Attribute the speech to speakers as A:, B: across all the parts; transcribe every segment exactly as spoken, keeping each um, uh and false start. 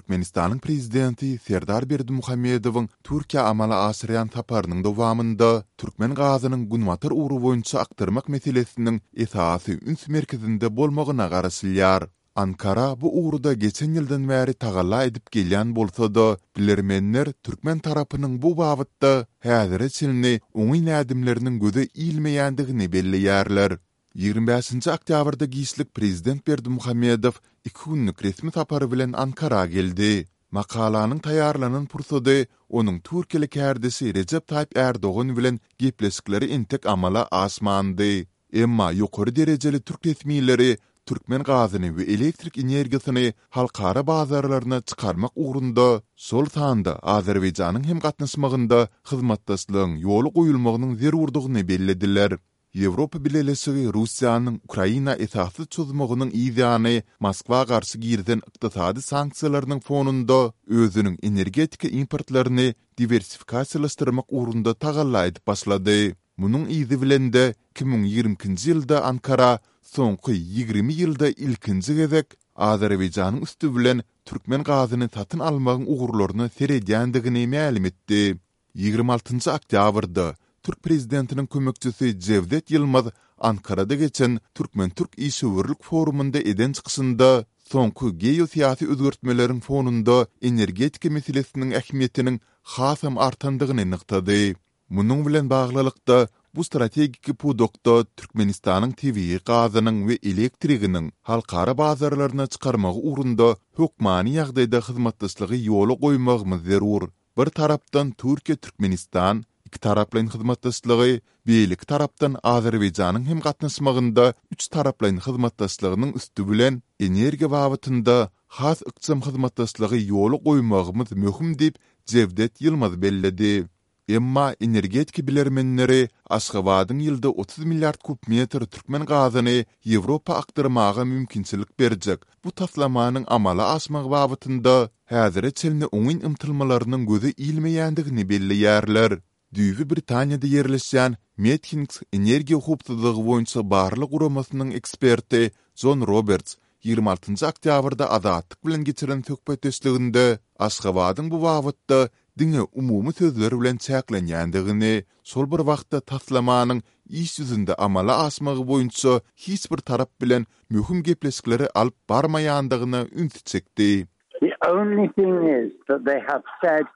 A: Türkmenistanyň Prezidenti Serdar Berdimuhamedowyň Türkiýä amala aşyrýan saparynyň dowamynda türkmen gazynyň günbatar ugry boýunça akdyrmak meselesiniň esasy üns merkezinde bolmagyna garaşylýar. Ankara bu ugurda geçen ýyldan bäri tagalla edip gelýän bolsa-da, bilermenler türkmen tarapynyň bu babatda häzire çenli oňyn ädimleriniň göze ilmeýändigini belleýärler. Ýigrimi bäşinji oktýabrda giçlik prezident Berdimuhamedow iki günlük resmi sapary bilen Ankara geldi. Makalanyň taýýarlanan pursady onuň türkiýeli kärdeşi Rejep Taýyp Ärdogan bilen gepleşikleri entek amala aşmandy. Emma ýokary derejeli türk resmileri türkmen gazyny we elektrik energiýasyny halkara bazarlaryna çykarmak ugrunda, şol sanda Azerbaýjanyň hem gatnaşmagynda hyzmatdaşlygyň ýola goýulmagynyň zerurdygyny bellediler. Ýewropa Bileleşigi Russiýanyň Ukraina esassyz çozmagynyň yzýany Moskwa garşy girizen ykdysady sanksiýalarynyň fonunda özüniň energetika importlaryny diwersifikasiýalaşdyrmak ugrunda tagalla edip başlady. Munuň yzy bilen-de iki müň ýigrimi ikinji ýylda Ankara soňky ýigrimi ýylda ilkinji gezek Azerbaýjanyň üsti bilen türkmen gazyny satyn almagyň ugurlaryna seredýändigini mälim etdi. Ýigrimi altynjy oktýabrda türk prezidentiniň kömekçisi Jewdet Ýylmaz Ankarada geçen türkmen-türk işewürlik forumynda eden çykyşynda soňky geosyýasy özgertmeleriň fonunda energetika meselesiniň ähmiýetiniň hasam artandygyny nygtady. Munuň bilen baglylykda, bu strategik pudakda Türkmenistanyň tebigy gazynyň we elektriginiň halkara bazarlaryna çykarmagy ugrunda hökmany ýagdaýda hyzmatdaşlygy ýola goýmagymyz zerur. Bir tarapdan Türkiýe-Türkmenistan ikitaraplaýyn hyzmatdaşlygy, beýleki tarapdan Azerbaýjanyň hem gatnaşmagynda üçtaraplaýyn hyzmatdaşlygynyň üsti bilen energiýa babatynda has ykjam hyzmatdaşlygy ýola goýmagymyz möhüm diýip, Jewdet Ýylmaz belledi. Emma energetika bilermenleri Aşgabadyň ýylda otuz milliard kub metr türkmen gazyny Ýewropa akdyrmaga mümkinçilik berjek bu taslamanyň amala aşmagy babatynda häzire çenli oňyn ymtylmalarynyň göze ilmeýändigini belleýärler. Düýbi Britaniýada ýerleşýän Methinks energiýa howpsuzlygy boýunça barlag guramasynyň eksperti Jon Roberts ýigrimi altynjy oktýabrda Azatlyk bilen geçiren söhbetdeşliginde Aşgabadyň bu babatda diňe umumy sözler bilen çäklenýändigini, şol bir wagtda taslamanyň iş ýüzünde amala aşmagy boýunça hiç bir tarap bilen möhüm gepleşikleri alyp barmaýandygyna ünsi çekdi.
B: The only thing is that they have said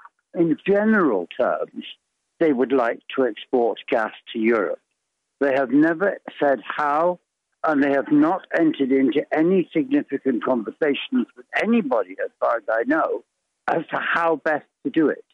B: in general terms they would like to export gas to Europe. They have never said how and they have not entered into any significant conversations with anybody, as far as I know, as to how best to do it.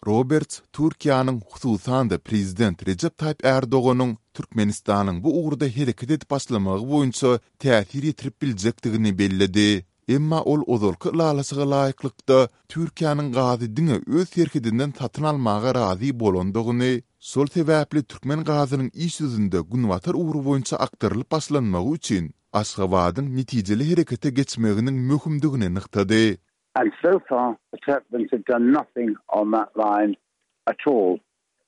A: Roberts Türkiýäniň, hususan-da prezident Rejep Taýyp Ärdoganyň Türkmenistanyň bu ugurda hereket edip başlamagy boýunça täsir ýetirip biljekdigini belledi. Emma ol ozalky ylalaşyga laýyklykda Türkiýäniň gazy diňe öz serhedinden satyn almaga razy bolandygyny, şol sebäpli türkmen gazynyň iş ýüzünde günbatar ugry boýunça akdyrylyp başlanmagy üçin Aşgabadyň netijeli herekete geçmeginiň möhümdigini nygtady.
B: And so far the Turkmens have done nothing on that line at all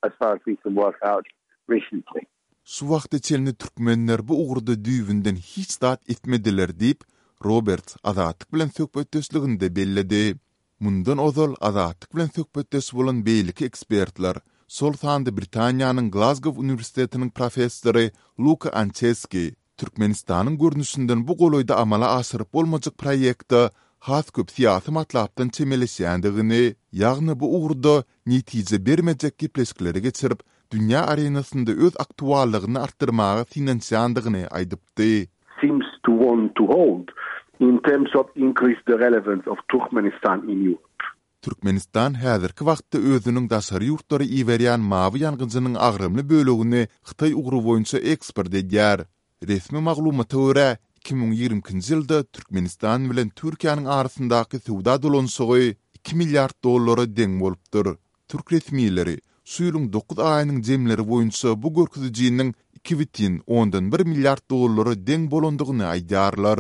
B: as far as we can work out recently.
A: Şu wagta çenli türkmenler bu ugurda düýbünden hiç zat etmediler diýip, Roberts Azatlyk bilen söhbetdeşliginde belledi. Mundan ozal Azatlyk bilen söhbetdeş bolan beýleki ekspertler, şol sanda Britaniýanyň Glazgow uniwersitetiniň professory Luka Ançeski Türkmenistanyň görnüşinden bu golaýda amala aşyryp bolmajak proýekte has köp syýasy matlapdan çemeleşýändigini, ýagny bu ugurda netije bermejek gepleşikleri geçirip, dünýä arenasynda öz aktuallygyny artdyrmaga synanyşýandygyny aýdypdy.
C: seems to want to hold in terms of increase the relevance of Turkmenistan in Europe.
A: Türkmenistan häzirki wagtda özüniň daşary ýurtlara iberýän mawy ýangyjynyň agramly bölegini Hytaý ugry boýunça eksport edýär. Resmi maglumata görä, iki müň ýigrimi ikinji ýylda Türkmenistan bilen Türkiýäniň arasyndaky söwda dolanyşygy iki milliard dollara deň bolupdyr. Türk resmileri şu ýylyň dokuz aýynyň jemleri boýunça bu görkezijiniň iki bütin ondan bir milliard dollara deň bolandygyny aýdýarlar.